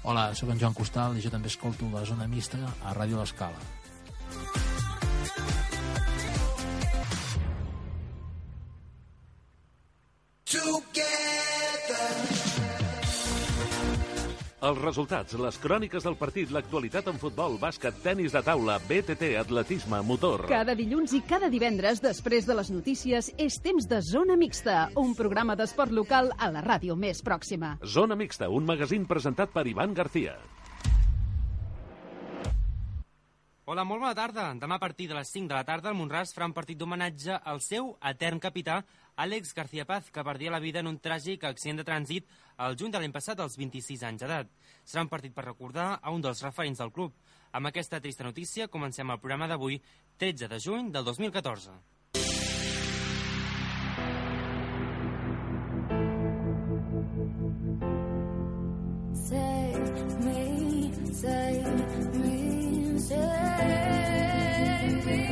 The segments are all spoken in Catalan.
Hola, sóc en Joan Costal i jo també escolto la Zona Mixta a Ràdio L'Escala. Els resultats, les cròniques del partit, l'actualitat en futbol, bàsquet, tenis de taula, BTT, atletisme, motor... Cada dilluns i cada divendres, després de les notícies, és temps de Zona Mixta, un programa d'esport local a la ràdio més pròxima. Zona Mixta, un magazín presentat per Ivan García. Hola, molt bona tarda. Demà a partir de les 5 de la tarda el Mont-ras farà un partit d'homenatge al seu etern capità, Àlex García Paz, que perdia la vida en un tràgic accident de trànsit el juny de l'any passat als 26 anys d'edat. Serà un partit per recordar a un dels referents del club. Amb aquesta trista notícia comencem el programa d'avui, 13 de juny del 2014. Save me, save me, save me.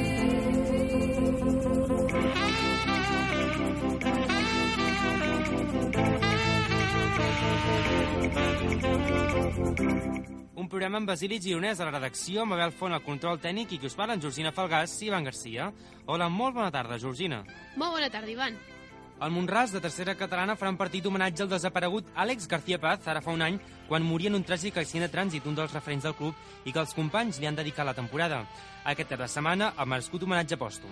Un programa amb Basili Gironès a la redacció, amb Abel Font al control tècnic i qui us parla en Georgina Falgàs i Ivan Garcia. Hola, molt bona tarda, Georgina. Molt bona tarda, Ivan. El Mont-ras de tercera catalana farà un partit d'homenatge al desaparegut Àlex García Paz, ara fa un any, quan moria en un tràgic accident de trànsit, un dels referents del club, i que els companys li han dedicat la temporada. Aquest cap de setmana, el merescut homenatge pòstum.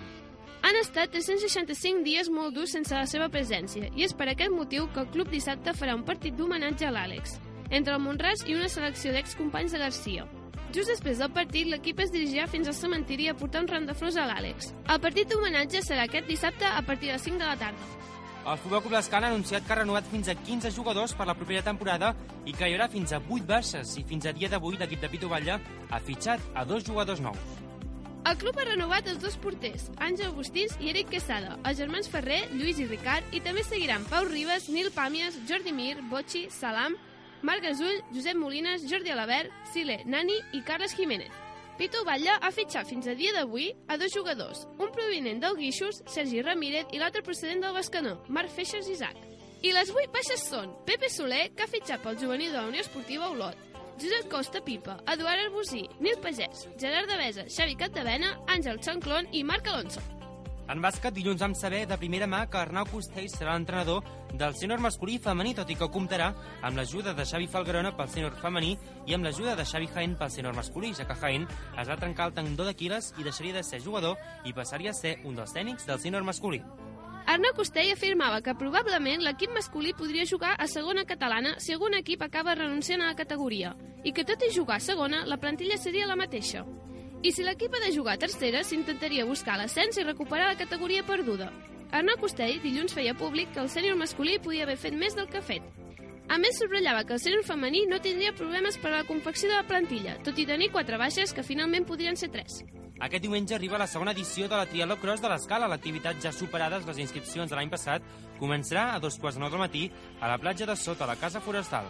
Han estat 365 dies molt durs sense la seva presència, i és per aquest motiu que el club dissabte farà un partit d'homenatge a l'Àlex, entre el Mont-ras i una selecció d'excompanys de Garcia. Just després del partit, l'equip es dirigirà fins al cementiri a portar un ram de flors a l'Àlex. El partit d'homenatge serà aquest dissabte a partir de les 5 de la tarda. El Futbol Club L'Escala ha anunciat que ha renovat fins a 15 jugadors per la propera temporada i que hi haurà fins a 8 baixes, i fins a dia d'avui l'equip de Pitu Batlle ha fitxat a 2 jugadors nous. El club ha renovat els 2 porters, Àngel Agustís i Eric Quesada, els germans Ferrer, Lluís i Ricard, i també seguiran Pau Ribas, Nil Pàmies, Jordi Mir, Botxi, Salam, Marc Gasull, Josep Molines, Jordi Alabert, Sile, Nani i Carles Jiménez. Pitu Batlle ha fitxat fins a dia d'avui a 2 jugadors, un provinent del Guixos, Sergi Ramírez, i l'altre procedent del Bescanó, Marc Feixas Isaac. I les 8 baixes són Pepe Soler, que ha fitxat pel juvenil de la Unió Esportiva Olot, Josep Costa Pipa, Eduard Arbusí, Nil Pagès, Gerard Devesa, Xavi Capdevena, Àngel Xanclón i Marc Alonso. En bàsquet, dilluns vam saber de primera mà que Arnau Costell serà l'entrenador del sènior masculí i femení, tot i que comptarà amb l'ajuda de Xavi Falgarona pel sènior femení i amb l'ajuda de Xavi Jaén pel sènior masculí, ja que Jaén es va trencar el tendó d'Aquil·les i deixaria de ser jugador i passaria a ser un dels tècnics del sènior masculí. Arnau Costell afirmava que probablement l'equip masculí podria jugar a segona catalana si algun equip acaba renunciant a la categoria, i que tot i jugar a segona, la plantilla seria la mateixa. I si l'equip ha de jugar a tercera, s'intentaria buscar l'ascens i recuperar la categoria perduda. Arnau Costell dilluns feia públic que el sènior masculí podia haver fet més del que ha fet. A més, subratllava que el sènior femení no tindria problemes per a la confecció de la plantilla, tot i tenir 4 baixes que finalment podrien ser 3. Aquest diumenge arriba la segona edició de la Triatló Cross de l'Escala. L'activitat, ja superades les inscripcions de l'any passat, començarà a 2:45 del matí a la platja de Sota, a la Casa Forestal.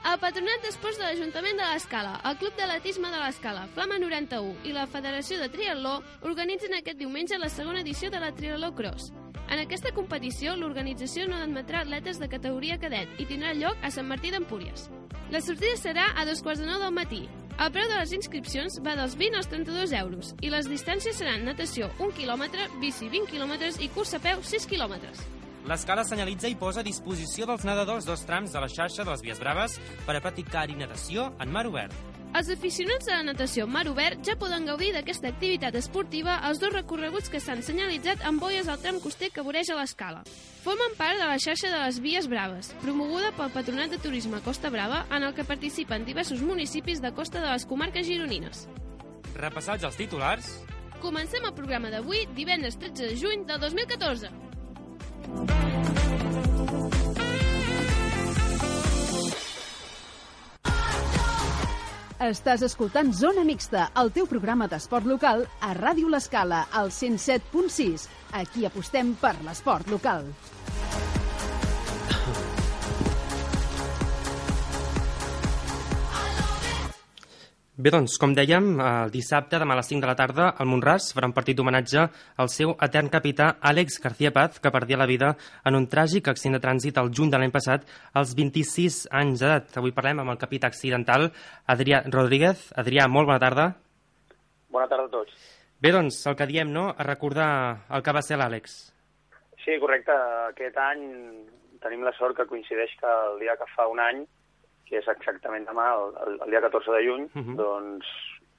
El Patronat d'Esports de l'Ajuntament de l'Escala, el Club d'Atletisme de l'Escala, Flama 91 i la Federació de Triatló organitzen aquest diumenge la segona edició de la Triatló Cross. En aquesta competició, l'organització no admetrà atletes de categoria cadet i tindrà lloc a Sant Martí d'Empúries. La sortida serà a 2:45 del matí. El preu de les inscripcions va dels 20 als 32 euros i les distàncies seran natació 1 quilòmetre, bici 20 quilòmetres i curs a peu 6 quilòmetres. L'Escala senyalitza i posa a disposició dels nedadors 2 trams de la xarxa de les Vies Braves per a practicar-hi natació en mar obert. Els aficionats de la natació en mar obert ja poden gaudir d'aquesta activitat esportiva als 2 recorreguts que s'han senyalitzat amb boies al tram coster que voreja l'Escala. Formen part de la xarxa de les Vies Braves, promoguda pel Patronat de Turisme Costa Brava, en el que participen diversos municipis de costa de les comarques gironines. Repassats els titulars, comencem el programa d'avui, divendres 13 de juny del 2014. Estàs escoltant Zona Mixta, el teu programa d'esport local a Ràdio L'Escala, al 107.6. Aquí apostem per l'esport local. Bé, doncs, com dèiem, el dissabte, demà a les 5 de la tarda, al Mont-ras farà un partit d'homenatge al seu etern capità Àlex García Paz, que perdia la vida en un tràgic accident de trànsit el juny de l'any passat, als 26 anys d'edat. Avui parlem amb el capità accidental, Adrià Rodríguez. Adrià, molt bona tarda. Bona tarda a tots. Bé, doncs, el que diem, no?, a recordar el que va ser l'Àlex. Sí, correcte. Aquest any tenim la sort que coincideix que el dia que fa un any, que és exactament demà, el dia 14 de juny, doncs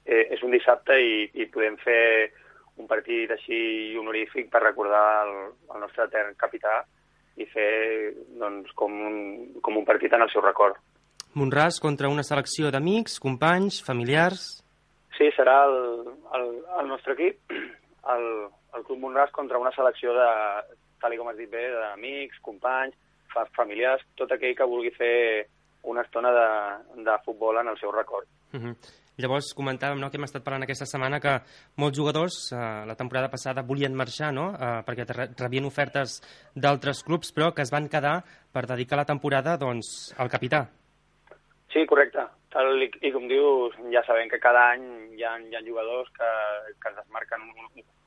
és un dissabte i podem fer un partit així honorífic per recordar el nostre etern capità i fer doncs, com un partit en el seu record. Mont-ras contra una selecció d'amics, companys, familiars... Sí, serà el nostre equip, el Club Mont-ras contra una selecció de, tal com has dit bé, d'amics, companys, familiars, tot aquell que vulgui fer una estona de futbol en el seu record. Llavors comentàvem, no?, que hem estat parlant aquesta setmana que molts jugadors la temporada passada volien marxar, no?, perquè rebien ofertes d'altres clubs, però que es van quedar per dedicar la temporada doncs, al capità. Sí, correcte. I com dius, ja sabem que cada any hi ha jugadors que es desmarquen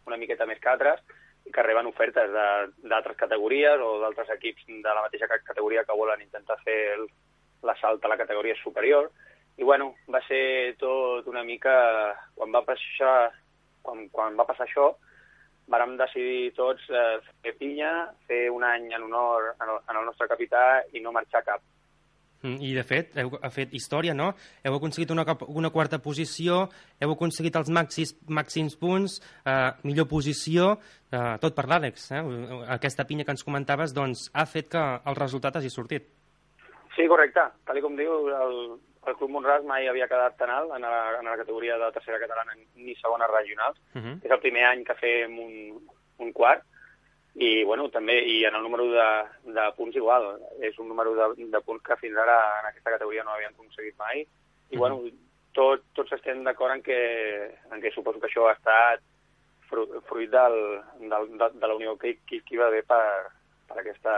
una miqueta més que altres i que reben ofertes d'altres categories o d'altres equips de la mateixa categoria que volen intentar fer l'assalt a la categoria superior. I, bueno, va ser tot una mica... Quan va passar això, vàrem decidir tots fer pinya, fer un any en honor al nostre capità i no marxar cap. I, de fet, heu fet història, no? Heu aconseguit una quarta posició, heu aconseguit els màxims punts, millor posició, tot per l'Àlex. Aquesta pinya que ens comentaves doncs, ha fet que el resultat hagi sortit. Sí, correcte. Tal com diu, el Club Mont-ras mai havia quedat tan alt en la categoria de tercera catalana ni segona regionals. És el primer any que fem un quart i, bueno, també i en el número de punts igual. És un número de punts que fins ara en aquesta categoria no havíem aconseguit mai. I, bueno, tots estem d'acord en que suposo que això ha estat fruit de la unió que hi va haver per aquesta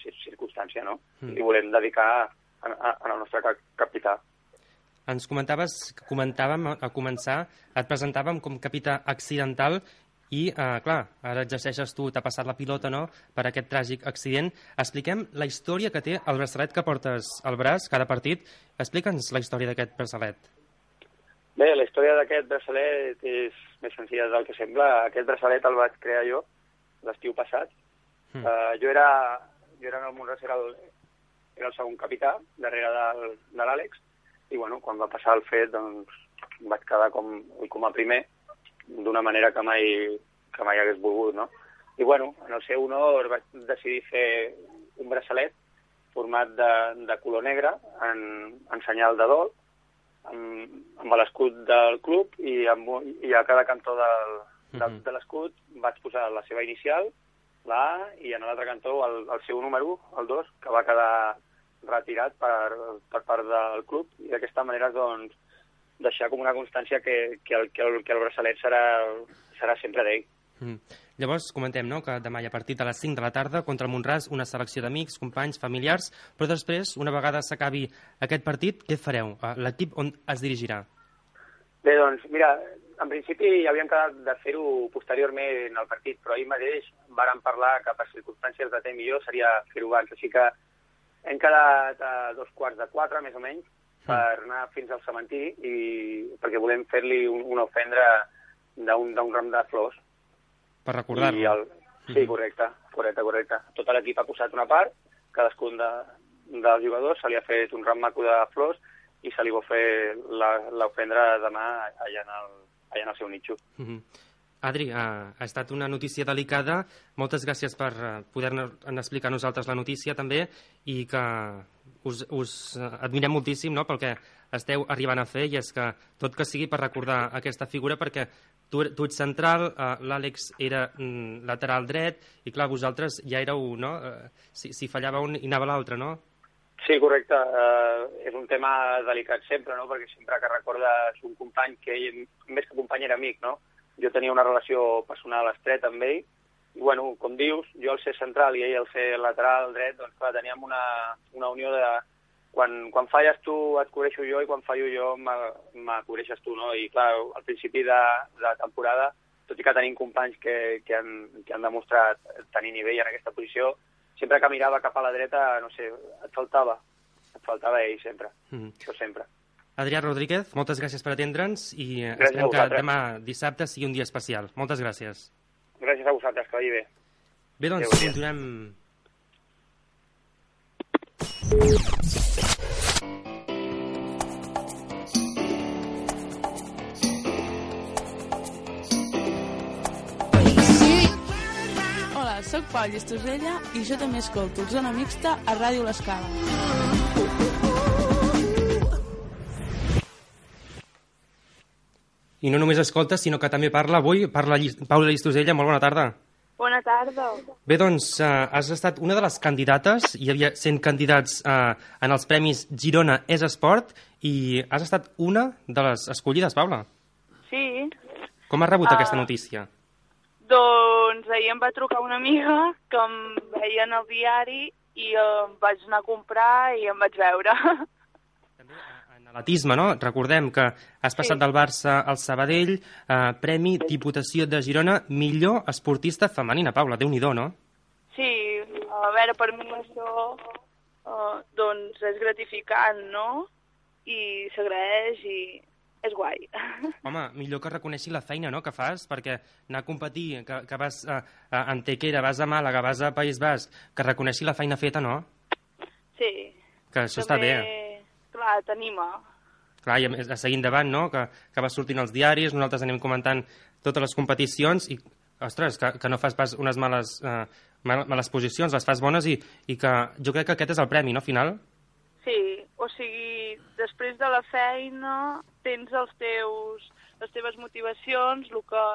circumstància, no? I volem dedicar al nostre capità. Ens comentaves que comentàvem a començar, et presentàvem com capità accidental i, clar, ara exerceixes tu, t'ha passat la pilota, no?, per aquest tràgic accident. Expliquem la història que té el braçalet que portes al braç cada partit. Explica'ns la història d'aquest braçalet. Bé, la història d'aquest braçalet és més senzilla del que sembla. Aquest braçalet el vaig crear jo l'estiu passat. Jo era en el Mont-ras, era el segon capità, darrere de l'Àlex, i, bueno, quan va passar el fet, doncs, vaig quedar com a primer, d'una manera que mai hagués volgut, no? I, bueno, en el seu honor vaig decidir fer un braçalet format de color negre, en senyal de dol, amb l'escut del club, i a cada cantó de l'escut vaig posar la seva inicial, la A, i en l'altre cantó el seu número, el 2, que va quedar retirat per part del club, i d'aquesta manera, doncs, deixar com una constància que el braçalet serà sempre d'ell. Llavors, comentem, no?, que demà hi ha partit a les 5 de la tarda contra el Mont-ras, una selecció d'amics, companys, familiars, però després, una vegada s'acabi aquest partit, què fareu? L'equip on es dirigirà? Bé, doncs, mira, en principi havíem quedat de fer-ho posteriorment al partit, però ahir mateix vàrem parlar que per circumstàncies de temps millor seria fer-ho abans, així que hem quedat a 3:45, més o menys, per anar fins al cementiri, perquè volem fer-li una ofrena d'un ram de flors. Per recordar-lo. Sí, correcte. Tot l'equip ha posat una part, cadascun dels jugadors se li ha fet un ram maco de flors i se li va fer l'ofrena demà allà en el seu nitxo. Adri, ha estat una notícia delicada. Moltes gràcies per poder-nos explicar a nosaltres la notícia també i que us admirem moltíssim, no?, pel que esteu arribant a fer, i és que tot que sigui per recordar aquesta figura, perquè tu ets central, l'Àlex era lateral dret i, clar, vosaltres ja éreu, no?, si fallava un i anava l'altre, no? Sí, correcte. És un tema delicat sempre, no?, perquè sempre que recordes un company que ell, més que company, era amic, no? Jo tenia una relació personal estreta amb ell i, bueno, com dius, jo al ser central i ell al ser lateral dret, doncs clar, teníem una unió quan falles tu et cobreixo jo i quan fallo jo me cobreixes tu, no? I clar, al principi de temporada, tot i que tenim companys que han demostrat tenir nivell en aquesta posició, sempre que mirava cap a la dreta, no sé, et faltava ell sempre, això sempre. Adrià Rodríguez, moltes gràcies per atendre'ns i Gràcies esperem a que vosaltres. demà dissabte sigui un dia especial. Moltes gràcies. Gràcies a vosaltres, que vagi bé. Bé, doncs, Adéu, continuem... Hola, sóc Pau Llistosella i jo també escolto Zona Mixta a Ràdio L'Escala. I no només escolta, sinó que també parla avui. Parla Paula Llistosella, molt bona tarda. Bona tarda. Bé, doncs, has estat una de les candidates, hi havia 100 candidats en els Premis Girona és Esport, i has estat una de les escollides, Paula. Sí. Com has rebut aquesta notícia? Doncs ahir em va trucar una amiga que em veia en el diari i em vaig anar a comprar i em vaig veure. També en atletisme, no? Recordem que has passat del Barça al Sabadell, Premi Diputació de Girona, millor esportista femenina. Paula, Déu-n'hi-do, no? Sí, a veure, per mi això doncs és gratificant, no? I s'agraeix i és guai. Home, millor que reconeixi la feina, no?, que fas, perquè anar a competir, que vas a Antequera, vas a Màlaga, vas a País Basc, que reconeixi la feina feta, no? Sí. Que això està bé. Clar, t'anima. Clar, i a seguir endavant, no?, que vas sortint als diaris, nosaltres anem comentant totes les competicions i, ostres, que no fas pas unes males posicions, les fas bones i que jo crec que aquest és el premi, no?, final? Sí, o sigui, després de la feina tens les teves motivacions, el que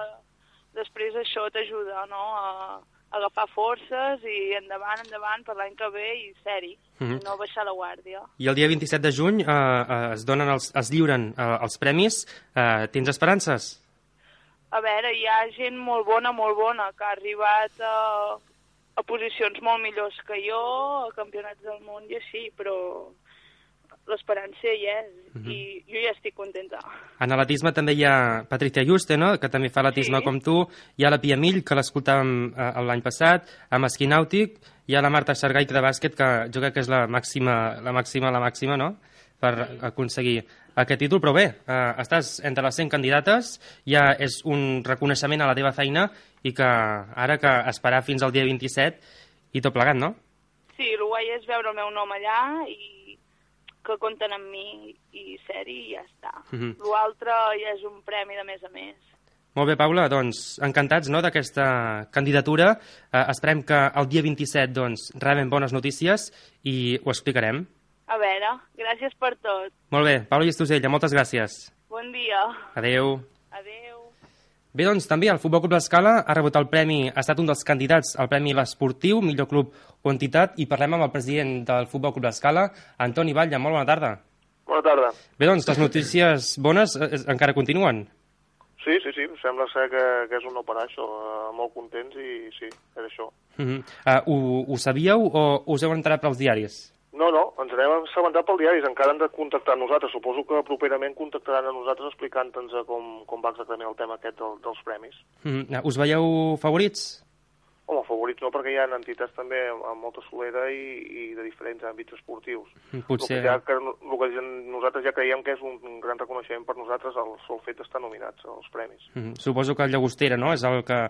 després això t'ajuda, no?, a agafar forces i endavant per l'any que ve i ser-hi, no baixar la guàrdia. I el dia 27 de juny es lliuren els premis. Tens esperances? A veure, hi ha gent molt bona, que ha arribat a posicions molt millors que jo, a campionats del món i així, però l'esperança hi és, i jo ja estic contenta. En atletisme també hi ha Patricia Juste, no?, que també fa atletisme com tu, hi ha la Pia Mill, que l'escoltàvem l'any passat, amb esquí nàutic, hi ha la Marta Xargaita de bàsquet, que jo crec que és la màxima, no?, per aconseguir aquest títol, però bé, estàs entre les 100 candidates, ja és un reconeixement a la teva feina i que ara que esperar fins al dia 27 i tot plegat, no? Sí, el guai és veure el meu nom allà i que compten amb mi i ser-hi i ja està. L'altre ja és un premi de més a més. Molt bé, Paula, doncs encantats, no?, d'aquesta candidatura. Esperem que el dia 27 doncs, rebem bones notícies i ho explicarem. A veure, gràcies per tot. Molt bé, Paula Llistosella, moltes gràcies. Bon dia. Adéu. Adéu. Bé, doncs també el Futbol Club L'Escala ha rebut el premi, ha estat un dels candidats al Premi L'Esportiu, millor club o entitat, i parlem amb el president del Futbol Club L'Escala, Antoni Batlle. Molt bona tarda. Bona tarda. Bé, doncs les notícies bones encara continuen. Sí, sembla ser que és un no parar això, molt contents i sí, és això. Ho sabíeu o us heu enterat pels diaris? No, ens n'hem assabentat pel diaris, encara han de contactar amb nosaltres. Suposo que properament contactaran a nosaltres explicant-nos com va exactament el tema aquest dels premis. Us veieu favorits? Home, favorits no, perquè hi ha entitats també amb molta solera i de diferents àmbits esportius. Potser... El que nosaltres ja creiem que és un gran reconeixement per nosaltres el sol fet d'estar nominats als premis. Suposo que el Llagostera, no?, és el que...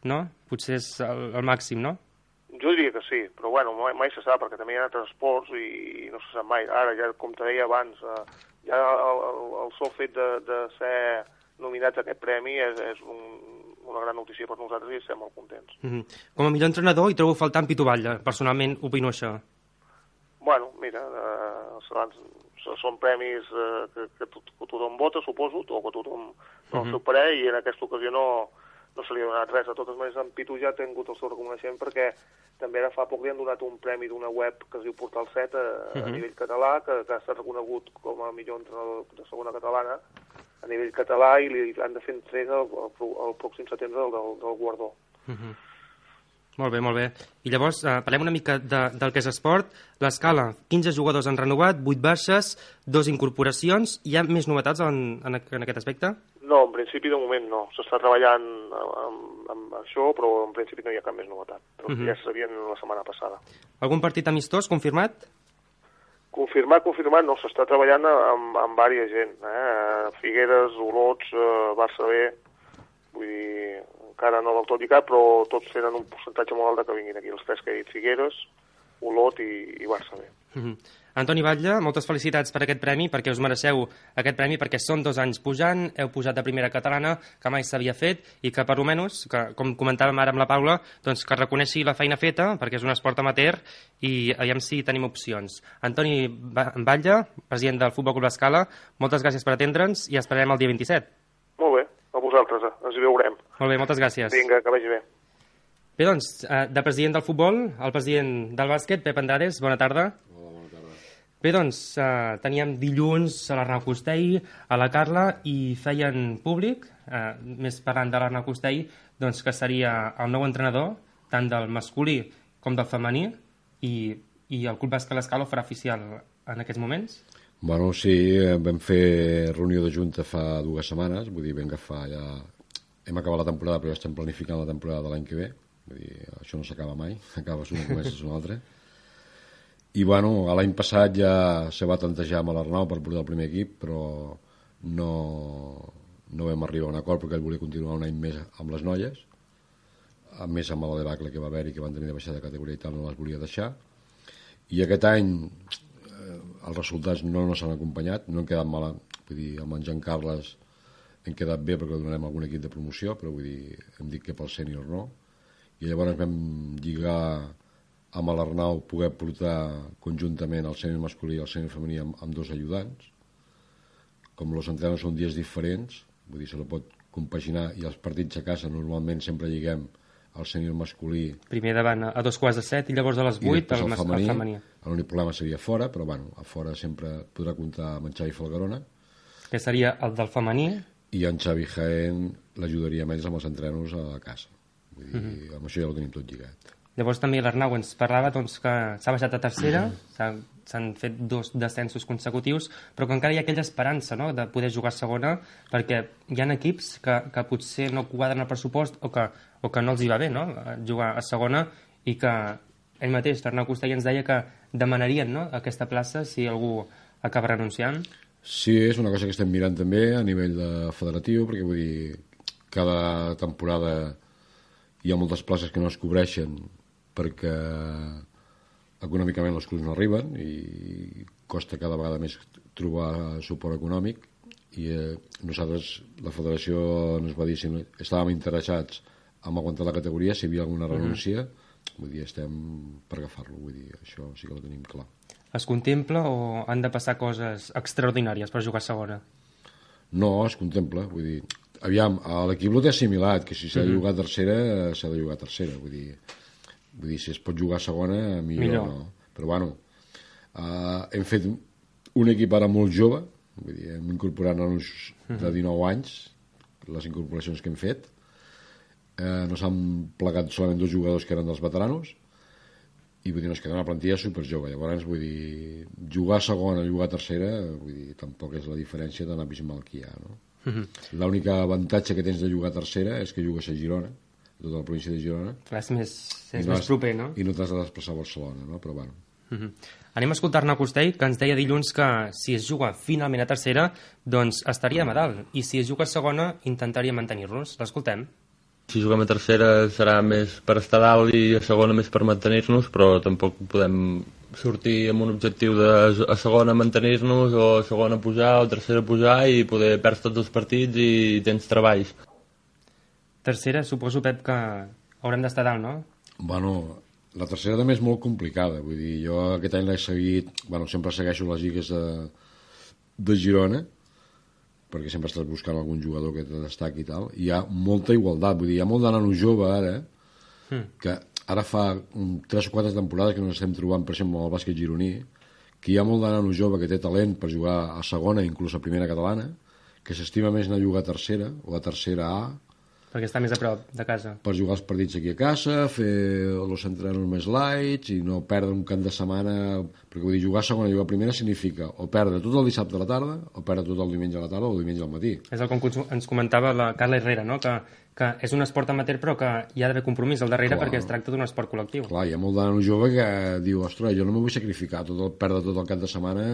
no? Potser és el màxim, no? Jo diria que sí, però bueno, mai se sap, perquè també hi ha altres esports i no se sap mai. Ara, ja com te deia abans, ja el sol fet de ser nominats a aquest premi és una gran notícia per nosaltres i estem molt contents. Com a millor entrenador hi trobo faltant Pitu Batlle. Personalment opino això. Bueno, mira, són premis que tothom vota, suposo, o que tothom dona el seu parer, i en aquesta ocasió no se li ha donat res. De totes maneres, en Pitu ja ha tingut el seu reconeixement perquè també ara fa poc li han donat un premi d'una web que es diu Portal 7 a nivell català, que ha estat reconegut com a millor entrenador de segona catalana a nivell català, i li han de fer entrega el pròxim setembre del guardó. Molt bé, molt bé. I llavors parlem una mica del que és esport. L'Escala, 15 jugadors han renovat, 8 baixes, 2 incorporacions. Hi ha més novetats en aquest aspecte? No, en principi de moment no. S'està treballant amb això, però en principi no hi ha cap més novetat. Ja se sabien la setmana passada. Algun partit amistós confirmat? Confirmat, no. S'està treballant amb diversa gent. Figueres, Olots, Barça B, vull dir, encara no del tot lligat, però tots tenen un percentatge molt alt que vinguin aquí. Els 3 que he dit, Figueres, Olot i Barça B. Antoni Batlle, moltes felicitats per aquest premi, perquè us mereixeu aquest premi, perquè són 2 anys pujant, heu pujat de primera catalana, que mai s'havia fet, i que per almenys, com comentàvem ara amb la Paula, doncs que reconeixi la feina feta, perquè és un esport amateur, i aviam si tenim opcions. Antoni Batlle, president del Futbol Club L'Escala, moltes gràcies per atendre'ns i esperarem el dia 27. Molt bé, a vosaltres, ens hi veurem. Molt bé, moltes gràcies. Vinga, que vagi bé. Bé, doncs, de president del futbol, el president del bàsquet, Pep Andrades, bona tarda. Hola, bona tarda. Bé, doncs, teníem dilluns a l'Arnau Costell, a la Carla, i feien públic, més parlant de l'Arnau Costell, doncs que seria el nou entrenador, tant del masculí com del femení, i el Club Bàsquet L'Escala ho farà oficial en aquests moments? Bueno, sí, vam fer reunió de junta fa 2 setmanes, vull dir, vam agafar ja... Hem acabat la temporada, però ja estem planificant la temporada de l'any que ve, vull dir, això no s'acaba mai, acabes una i comences una altra. I, bueno, l'any passat ja se va tantejar amb l'Arnau per portar el primer equip, però no vam arribar a un acord perquè ell volia continuar un any més amb les noies, a més amb la debacle que va haver-hi, que van tenir de baixar de categoria i tal, no les volia deixar. I aquest any els resultats no s'han acompanyat, no han quedat mal, vull dir, amb en Jean Carles hem quedat bé perquè donarem algun equip de promoció, però vull dir, hem dit que pel sènior no, i llavors vam lligar amb l'Arnau poder portar conjuntament el sènior masculí i el sènior femení amb 2 ajudants. Com els entrenadors són dies diferents, vull dir, se la pot compaginar, i els partits a casa normalment sempre lliguem el sènior masculí... Primer davant a 2:15 i llavors a les 8 el femení. L'únic problema seria fora, però bueno, a fora sempre podrà comptar amb en Xavi Falgarona. Que seria el del femení. I en Xavi Jaén l'ajudaria més amb els entrenos a casa. Vull dir, amb això ja ho tenim tot lligat. Llavors també l'Arnau ens parlava doncs, que s'ha baixat a tercera, s'han fet 2 descensos consecutius, però que encara hi ha aquella esperança, no?, de poder jugar a segona, perquè hi ha equips que potser no quadren el pressupost o que no els hi va bé, no?, jugar a segona, i que ell mateix, l'Arnau Costell, ens deia que demanarien, no?, aquesta plaça si algú acaba renunciant. Sí, és una cosa que estem mirant també a nivell de federatiu, perquè vull dir, cada temporada hi ha moltes places que no es cobreixen perquè econòmicament els clubs no arriben i costa cada vegada més trobar suport econòmic, i nosaltres, la federació ens va dir si no estàvem interessats en aguantar la categoria, si hi havia alguna renúncia, vull dir, estem per agafar-lo, vull dir, això sí que ho tenim clar. Es contempla o han de passar coses extraordinàries per jugar a segona? No, es contempla, vull dir, aviam, a l'equip ho té assimilat, que si s'ha de jugar a tercera, s'ha de jugar a tercera, vull dir, si es pot jugar a segona, millor. No. Però bueno, hem fet un equip ara molt jove, vull dir, hem incorporat nanos de 19 anys, les incorporacions que hem fet, no s'han plegat solament 2 jugadors que eren dels veteranos, i vull dir, ens queda una plantilla superjove. Llavors, vull dir, jugar a segona, jugar a tercera, vull dir, tampoc és la diferència tan abismal que hi ha, no? L'únic avantatge que tens de jugar a tercera és que jugues a Girona, a tota la província de Girona. És més proper, no? I no t'has de desplaçar a Barcelona, no? Però bueno. Anem a escoltar-ne a Costell, que ens deia dilluns que si es juga finalment a tercera, doncs estaríem a dalt, i si es juga a segona, intentaria mantenir-nos. L'escoltem. Si juguem a tercera serà més per estar dalt i a segona més per mantenir-nos, però tampoc podem sortir amb un objectiu de a segona mantenir-nos o a segona pujar o a tercera pujar i poder perdre tots els partits i tens treballs. Tercera, suposo, Pep, que haurem d'estar dalt, no? Bueno, la tercera també és molt complicada, vull dir, jo aquest any l'he seguit, bueno, sempre segueixo les lligues de Girona, perquè sempre estàs buscant algun jugador que te destaqui i tal, i hi ha molta igualtat, vull dir, hi ha molt de nano jove ara, que ara fa 3 o 4 temporades que no estem trobant, per exemple, amb el bàsquet gironí, que hi ha molt de nano jove que té talent per jugar a segona, inclús a primera catalana, que s'estima més anar a jugar a tercera o a tercera A, Perquè està més a prop de casa. Pots jugar els partits aquí a casa, fer els entrenos més lights i no perdre un camp de setmana, perquè vull dir, jugar segona i jugar primera significa o perdre tot el dissabte a la tarda o perdre tot el diumenge a la tarda o el diumenge al matí. És el que ens comentava la Carla Herrera, no? Que és un esport amateur però que hi ha d'haver compromís al darrere perquè es tracta d'un esport col·lectiu. Clar, hi ha molt de nano jove que diu, ostres, jo no me vull sacrificar perdre tot el cap de setmana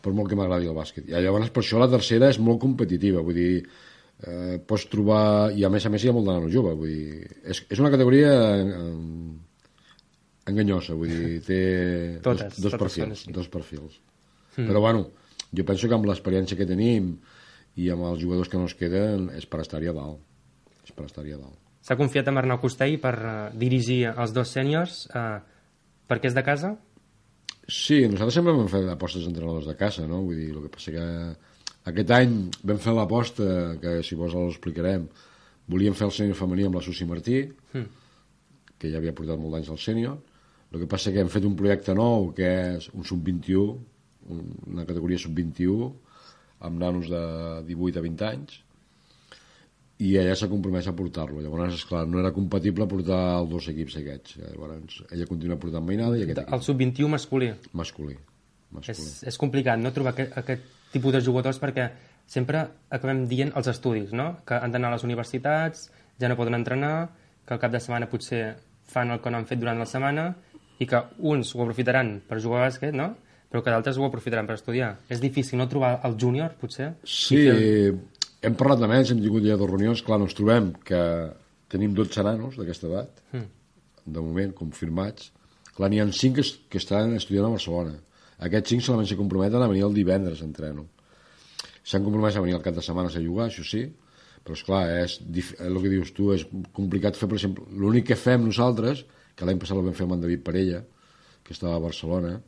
per molt que m'agradi el bàsquet. I llavors per això la tercera és molt competitiva, vull dir, pots trobar, i a més hi ha molt de nano jove, vull dir, és una categoria enganyosa, vull dir, té dos perfils. Però bueno, jo penso que amb l'experiència que tenim i amb els jugadors que no es queden és per estar-hi a dalt. S'ha confiat amb Arnau Costell per dirigir els dos sèniors perquè és de casa? Sí, nosaltres sempre vam fer apostes d'entrenadors de casa, no? Vull dir, el que passa que aquest any vam fer l'aposta, que si vols ho explicarem, volíem fer el sènior femení amb la Susi Martí, que ja havia portat molt d'anys al sènior. El que passa que hem fet un projecte nou, que és un sub-21, una categoria sub-21, amb nanos de 18 a 20 anys, i ella s'ha compromès a portar-lo. Llavors, esclar, no era compatible portar els dos equips aquests. Llavors, ella continua portant mainada i aquest equip. El sub-21 masculí? Masculí. És complicat, no?, trobar aquest tipus de jugadors perquè sempre acabem dient els estudis, no?, que han d'anar a les universitats, ja no poden entrenar, que al cap de setmana potser fan el que no han fet durant la setmana i que uns ho aprofitaran per jugar a bàsquet, no?, però que d'altres ho aprofitaran per estudiar. És difícil, no?, trobar el júnior, potser? Sí, hem parlat de més, hem tingut ja 2 reunions, clar, ens trobem que tenim 12 nanos d'aquesta edat, de moment, confirmats. Clar, n'hi ha 5 que estan estudiant a Barcelona. Aquests 5 solament se comprometen a venir el divendres a entreno. S'han compromès a venir el cap de setmana a jugar, això sí, però esclar, és el que dius tu, és complicat fer, per exemple, l'únic que fem nosaltres, que l'any passat ho vam fer amb en David Parella, que estava a Barcelona,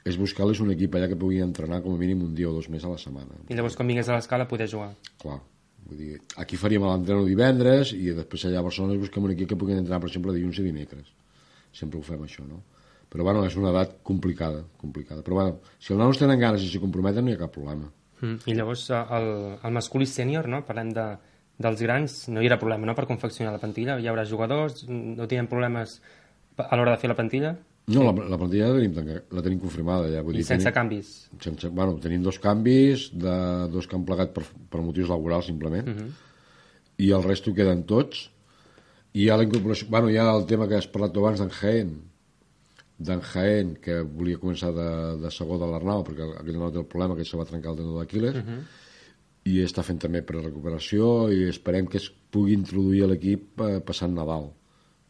és buscar-les un equip allà que pugui entrenar com a mínim un dia o 2 més a la setmana. I llavors quan vingués a l'Escala poder jugar. Clar, vull dir, aquí faríem l'entreno divendres i després allà a Barcelona busquem un equip que pugui entrenar, per exemple, dilluns i dimecres. Sempre ho fem això, no? Però bueno, és una edat complicada. Però bueno, si els nanos tenen ganes i s'hi comprometen no hi ha cap problema. I llavors el masculí sènior, no? Parlem dels grans, no hi haurà problema, no?, per confeccionar la plantilla, hi haurà jugadors, no tindrem problemes a l'hora de fer la plantilla? No, la plantilla la tenim confirmada ja. I sense canvis? Bueno, tenim 2 canvis, 2 que han plegat per motius laborals simplement, i el resto queden tots. I hi ha la incorporació, bueno, hi ha el tema que has parlat abans d'en Jaén, que volia començar de segó de l'Arnau, perquè aquell no té el problema, que se va trencar el tendó d'Aquiles, i està fent també prerecuperació i esperem que es pugui introduir a l'equip passant Nadal.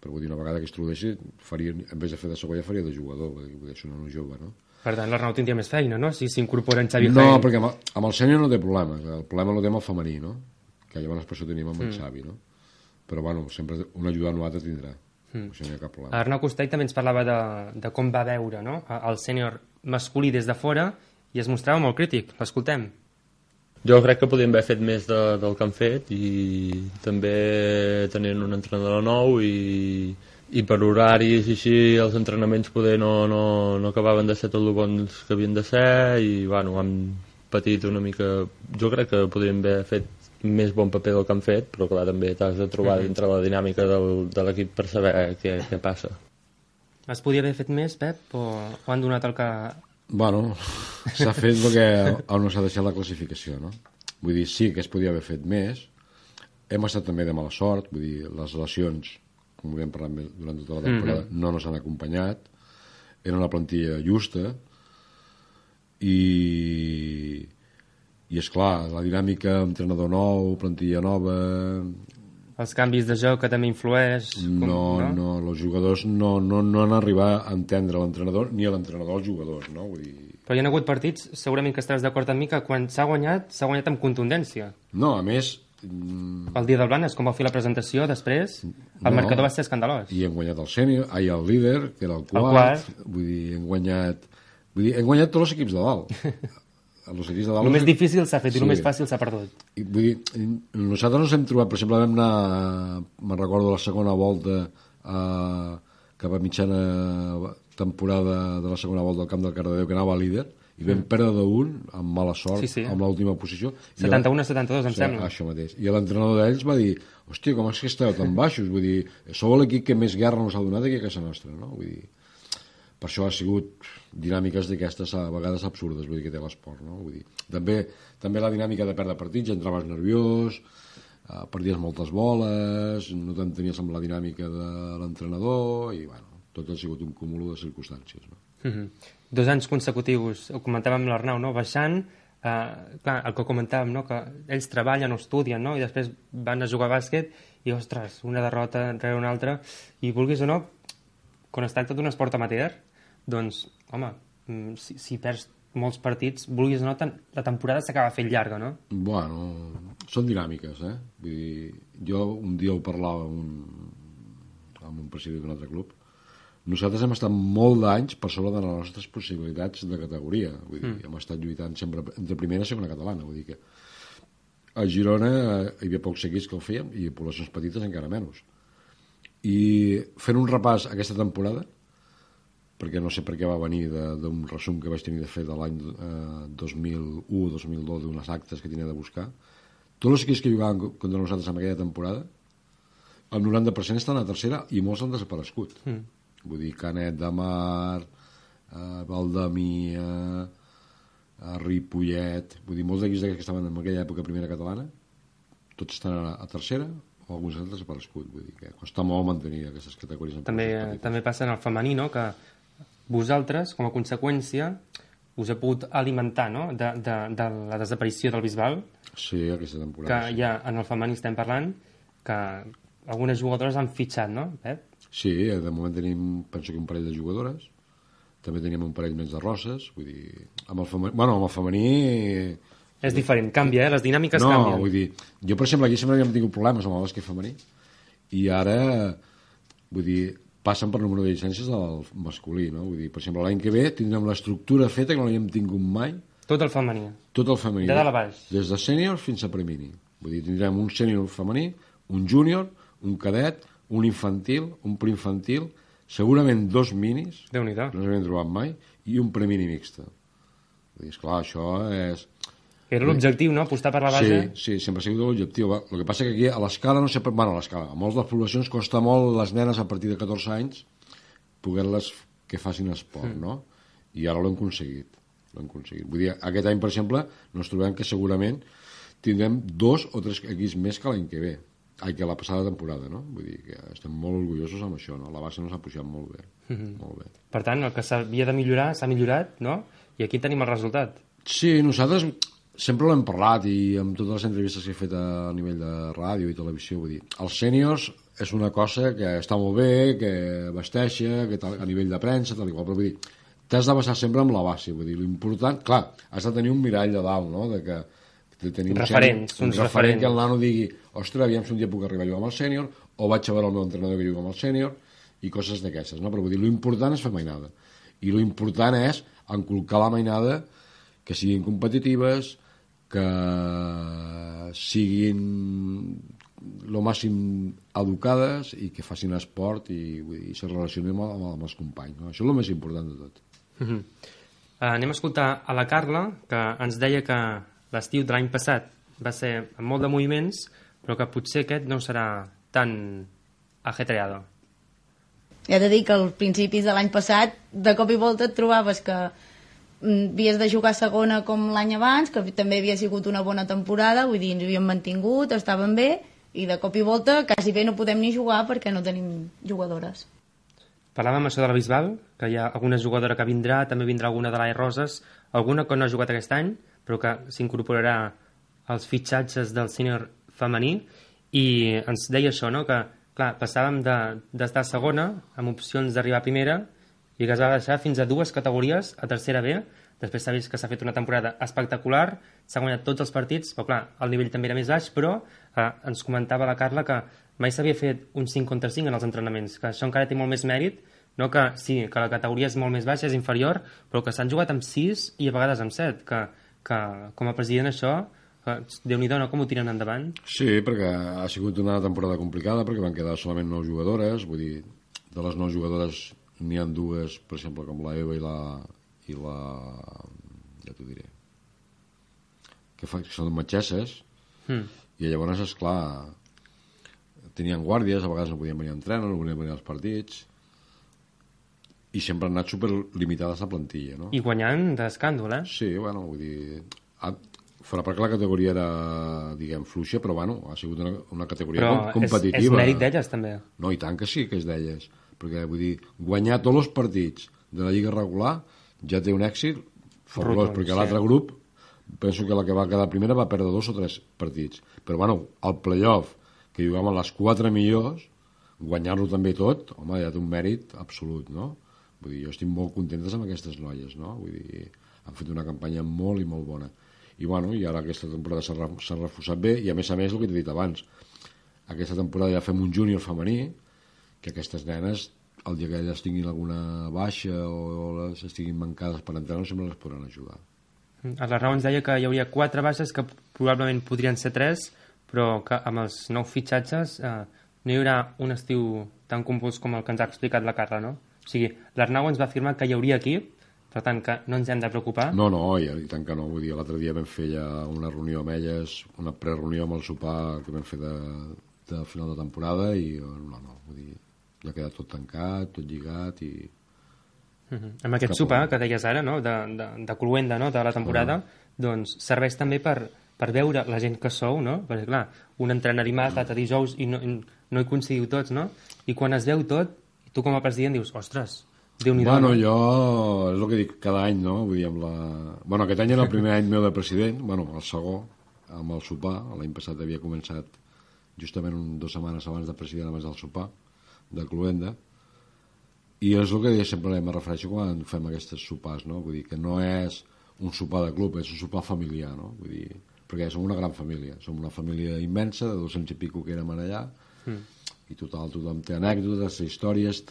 Però vull dir, una vegada que es introdueixi, en vez de fer de segó ja faria de jugador, vull dir, és un nano jove, no? Per tant, l'Arnau tindria més feina, no?, si s'incorpora en Xavi Jaén. No, perquè amb el sènior no té problemes, el problema el té amb el femení, no?, que llavors per això tenim amb el Xavi, no? Però bueno, sempre un ajudant o altre tindrà, això no hi ha cap problema. Arnau Costell també ens parlava de com va veure, no?, el sènior masculí des de fora i es mostrava molt crític. L'escoltem. Jo crec que podríem haver fet més del que han fet i també tenint un entrenador nou i per horaris i així els entrenaments poder no acabaven de ser tot el bons que havien de ser i bueno, han patit una mica. Jo crec que podríem haver fet més bon paper del que han fet, però clar, també t'has de trobar dintre la dinàmica de l'equip per saber què passa. Es podia haver fet més, Pep, o han donat el que... Bueno, s'ha fet el que on s'ha deixat la classificació, no? Vull dir, sí que es podia haver fet més. Hem estat també de mala sort, vull dir, les lesions, com hem parlat durant tota la temporada, no ens han acompanyat. Era una plantilla justa i esclar, la dinàmica, entrenador nou, plantilla nova... Els canvis de joc que també influeix... No, els jugadors no han arribat a entendre l'entrenador ni a l'entrenador els jugadors, no? Vull dir... Però hi ha hagut partits, segurament que estaràs d'acord amb mi, que quan s'ha guanyat amb contundència. No, a més... El dia del Blanes, com va fer la presentació, després, el marcador va ser escandalós. I hem guanyat el sènior, el líder, que era el quart. Vull dir, hem guanyat tots els equips de dalt. El més difícil s'ha fet i el més fàcil s'ha perdut. Vull dir, nosaltres ens hem trobat, per exemple, vam anar, me'n recordo, la segona volta cap a mitjana temporada de la segona volta del camp del Cardedeu, que anava líder, i vam perdre d'un amb mala sort, amb l'última posició. 71-72, em sembla. Això mateix. I l'entrenador d'ells va dir, hòstia, com és que esteu tan baixos? Vull dir, sou l'equip que més guerra nos ha donat aquí a casa nostra, no? Vull dir, per això ha sigut dinàmiques d'aquestes a vegades absurdes, vull dir, que té l'esport, no? Vull dir, també la dinàmica de perdre partits, entraves nerviós, perdies moltes boles, no t'entenies amb la dinàmica de l'entrenador, i bueno, tot ha sigut un cúmul de circumstàncies, no? 2 anys consecutius, ho comentàvem amb l'Arnau, no? Baixant, clar, el que comentàvem, no? Que ells treballen o estudien, no? I després van a jugar a bàsquet i, ostres, una derrota rere una altra, i vulguis o no, quan es tracta d'un esport amateur, doncs, home, si perds molts partits, vulguis o no, la temporada s'acaba fent llarga, no? Bueno, són dinàmiques, eh? Vull dir, jo un dia ho parlava amb un president d'un altre club. Nosaltres hem estat molt d'anys per sobre de les nostres possibilitats de categoria. Vull dir, hem estat lluitant sempre entre primera i segona catalana. Vull dir que a Girona hi havia pocs equips que ho fèiem i poblacions petites encara menys. I fent un repàs aquesta temporada, perquè no sé per què va venir d'un resum que vaig tenir de fer de l'any 2001-2002 d'unes actes que tenia de buscar, tots els equips que jugaven contra nosaltres en aquella temporada, el 90% estan a tercera i molts han desaparegut. Vull dir, Canet de Mar, Valdemia, Ripollet, vull dir, molts d'equips que estaven en aquella època primera catalana, tots estan a tercera o alguns han desaparegut. Vull dir que costa molt mantenir aquestes categories. També passa en el femení, no?, que vosaltres, com a conseqüència, us heu pogut alimentar, no?, de la desaparició del Bisbal. Sí, aquesta temporada. Que ja en el femení estem parlant que algunes jugadores han fitxat, no, Pep? Sí, de moment tenim, penso que un parell de jugadores, també teníem un parell més de rosses, vull dir, amb el femení... És diferent, canvia, les dinàmiques canvien. No, vull dir, jo per exemple aquí sempre havíem tingut problemes amb el bàsquet femení i ara, vull dir, passen per número de llicències del masculí, no? Vull dir, per exemple, l'any que ve tindrem l'estructura feta que no l'havíem tingut mai. Tot el femení. Tot el femení. De dalt a baix. Des de sènior fins a premini. Vull dir, tindrem un sènior femení, un júnior, un cadet, un infantil, un preinfantil, segurament 2 minis, que no s'havien trobat mai, i un premini mixta. Vull dir, esclar, això és... Era l'objectiu, no?, apostar per la base. Sí, sempre ha sigut l'objectiu. El que passa que aquí, a l'escala, no sé... Bueno, a l'escala, a moltes de les poblacions costa molt les nenes a partir de 14 anys poder-les que facin esport, no? I ara l'hem aconseguit. Vull dir, aquest any, per exemple, ens trobem que segurament tindrem 2 o 3 equips més que l'any que ve. Que la passada temporada, no? Vull dir que estem molt orgullosos amb això, no? La base nos ha pujat molt bé. Molt bé. Per tant, el que s'havia de millorar s'ha millorat, no? I aquí tenim el resultat. Sí, nosaltres sempre l'hem parlat i amb totes les entrevistes que he fet a nivell de ràdio i televisió, vull dir, els sèniors és una cosa que està molt bé, que vesteixa, que a nivell de premsa, tal i qual, però vull dir, t'has de basar sempre amb la base, vull dir, l'important, clar, has de tenir un mirall de dalt, no?, de que tenir un referent que el nano digui, ostres, aviam si un dia puc arribar a jugar amb el sènior, o vaig a veure el meu entrenador que juga amb el sènior, i coses d'aquestes, no? Però vull dir, l'important és fer mainada. I l'important és encolcar la mainada, que siguin competitives, que siguin lo màxim educades i que facin esport i, vull dir, se relacionin amb els companys, no? Això és el més important de tot. Anem a escoltar a la Carla, que ens deia que l'estiu de l'any passat va ser amb molt de moviments, però que potser aquest no serà tan ajetreado. He de dir que als principis de l'any passat, de cop i volta et trobaves que havies de jugar segona com l'any abans, que també havia sigut una bona temporada, vull dir, ens havíem mantingut, estaven bé, i de cop i volta quasi bé no podem ni jugar perquè no tenim jugadores. Parlàvem això de la Bisbal, que hi ha alguna jugadora que vindrà, també vindrà alguna de l'AE Roses, alguna que no ha jugat aquest any, però que s'incorporarà als fitxatges del sènior femení, i ens deia això, no?, que, clar, passàvem d'estar a segona, amb opcions d'arribar a primera, i que es va deixar fins a 2 categories a tercera B. Després s'ha vist que s'ha fet una temporada espectacular, s'ha guanyat tots els partits, però clar, el nivell també era més baix, però ens comentava la Carla que mai s'havia fet un 5 contra 5 en els entrenaments, que això encara té molt més mèrit, no que sí, que la categoria és molt més baixa, és inferior, però que s'han jugat amb 6 i a vegades amb 7, que com a president això, Déu-n'hi-do, no?, com ho tiren endavant? Sí, perquè ha sigut una temporada complicada, perquè van quedar solament 9 jugadores, vull dir, de les 9 jugadores n'hi ha 2, per exemple, com la Eva i la ja t'ho diré. Que són metgesses, i llavors, esclar, tenien guàrdies, a vegades no podien venir a entrenar, no podien venir als partits, i sempre han anat superlimitades la plantilla, no? I guanyant d'escàndol, eh? Sí, bueno, vull dir... Fora perquè la categoria era, diguem, fluixa, però bueno, ha sigut una categoria competitiva. Però és mèrit d'elles, també. No, i tant que sí que és d'elles. Perquè, vull dir, guanyar tots els partits de la Lliga regular ja té un èxit fabulós, perquè l'altre grup, penso que la que va quedar primera va perdre 2 o 3 partits. Però, bueno, al play-off, que jugaven les 4 millors, guanyar-lo també tot, home, ja té un mèrit absolut, no? Vull dir, jo estic molt contentes amb aquestes noies, no? Vull dir, han fet una campanya molt i molt bona. I, bueno, i ara aquesta temporada s'ha reforçat bé, i a més, el que t'he dit abans, aquesta temporada ja fem un júnior femení, que aquestes nenes, el dia que elles tinguin alguna baixa o les estiguin mancades per entrenar, sempre les podran ajudar. A l'Arnau ens deia que hi hauria 4 baixes, que probablement podrien ser 3, però que amb els nous fitxatges no hi haurà un estiu tan compost com el que ens ha explicat la Carla, no? O sigui, l'Arnau ens va afirmar que hi hauria equip, per tant, que no ens hem de preocupar. No, i tant que no. Vull dir, l'altre dia vam fer ja una reunió amb elles, una prereunió amb el sopar que vam fer de final de temporada, i no, vull dir, ja queda tot tancat, tot lligat, i... Amb aquest sopar que deies ara, no?, de cloenda, no?, de la temporada, doncs serveix també per veure la gent que sou, no? Perquè, clar, un entrena dimarts, l'altre dijous, i no hi coincidiu tots, no? I quan es veu tot, tu com a president dius, ostres, Déu-n'hi-do. Bueno, jo, és el que dic cada any, no? Vull dir, Bueno, aquest any era el primer any meu de president, bueno, el segon, amb el sopar. L'any passat havia començat justament 2 setmanes abans de president, abans del sopar, de cloenda. I és el que sempre me refereixo quan fem aquestes sopars, no? Vull dir, que no és un sopar de club, és un sopar familiar, no? Vull dir, perquè som una gran família, som una família immensa, de 200 i pico que érem allà, i tothom té anècdotes, té històries,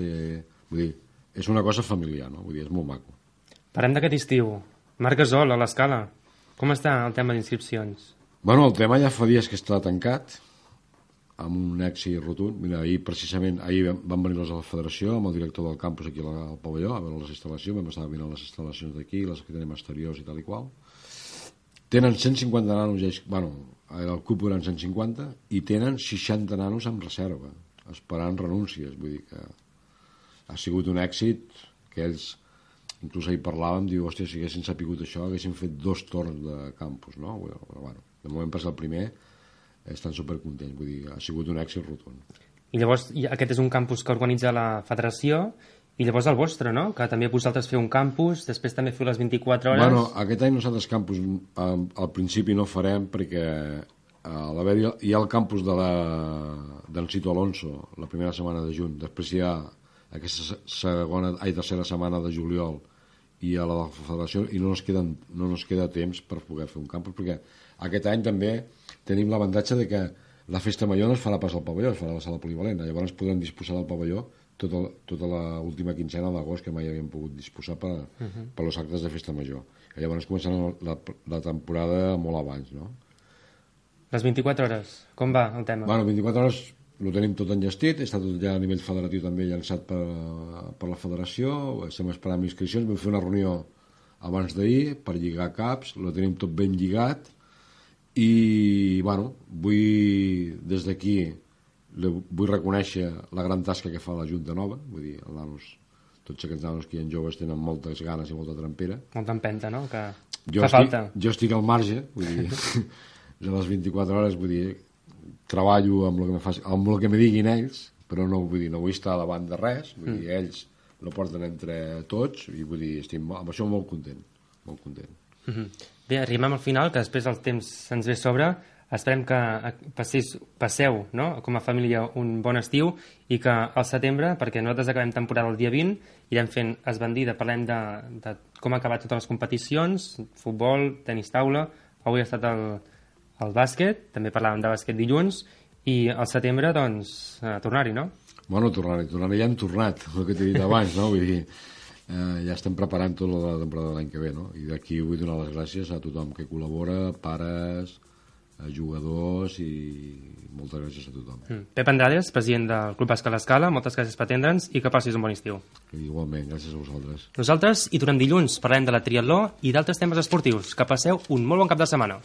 vull dir, és una cosa familiar, no? Vull dir, és molt maco. Parlem d'aquest estiu. Marc Gasol, a l'Escala. Com està el tema d'inscripcions? Bueno, el tema ja fa dies que està tancat, amb un èxit rotund. Mira, ahir van venir los de la federació, amb el director del campus aquí al pavelló, a veure les instal·lacions, vam estar mirant les instal·lacions d'aquí, les que tenim exteriors i tal i qual. Tenen 150 nanos, bueno, el CUP eren 150, i tenen 60 nanos amb reserva, esperant renúncies. Vull dir que ha sigut un èxit que ells, inclús ahir parlàvem, diu, hòstia, si haguessin sapigut això, haguessin fet 2 torns de campus, no? Bueno, de moment per ser el primer, estan supercontents, vull dir, ha sigut un èxit rotund. I llavors, aquest és un campus que organitza la federació, i llavors el vostre, no? Que també vosaltres feu un campus, després també feu les 24 hores... Bueno, aquest any nosaltres campus al principi no farem, perquè hi ha el campus del Cito Alonso la primera setmana de juny, després hi ha aquesta tercera setmana de juliol i a la federació, i no ens queda temps per poder fer un campus, perquè aquest any també tenim l'avantatge de que la festa major no es farà pas al pavelló, es farà a la sala polivalent, llavors podrem disposar del pavelló tota l'última quincena d'agost, que mai havíem pogut disposar per als actes de festa major, i llavors començarà la temporada molt abans, no? Les 24 hores, com va el tema? Bueno, 24 hores ho tenim tot enllestit, està tot ja a nivell federatiu també llançat per la federació, estem esperant inscripcions, vam fer una reunió abans d'ahir per lligar caps, ho tenim tot ben lligat, i bueno, des d'aquí vull reconèixer la gran tasca que fa la Junta Nova, vull dir, els nanos, tots aquests nanos que hi ha joves tenen moltes ganes i molta trempera. Molta empenta, no? Que fa falta. Jo estic al marge, vull dir, de les 24 hores, vull dir, treballo amb el que me diguin ells, però no vull estar davant de res, vull dir, ells lo porten entre tots, i vull dir, estic amb això molt content, molt content. Bé, arribem al final, que després el temps se'ns ve sobre, esperem que passeu, no?, com a família un bon estiu, i que al setembre, perquè nosaltres acabem temporada el dia 20, irem fent esbandida, parlem de com ha acabat totes les competicions, futbol, tenis taula, avui ha estat el bàsquet, també parlàvem de bàsquet dilluns, i al setembre, doncs, tornar-hi, no? Bueno, tornar-hi ja hem tornat, el que t'he dit abans, no? Vull dir, ja estem preparant tota la temporada de l'any que ve, no? I d'aquí vull donar les gràcies a tothom que col·labora, pares, jugadors i moltes gràcies a tothom. Pep Andrades, president del Club Bàsquet L'Escala, moltes gràcies per atendre'ns i que passis un bon estiu. Igualment, gràcies a vosaltres. Nosaltres hi tornem dilluns, parlem de la triatló i d'altres temes esportius. Que passeu un molt bon cap de setmana.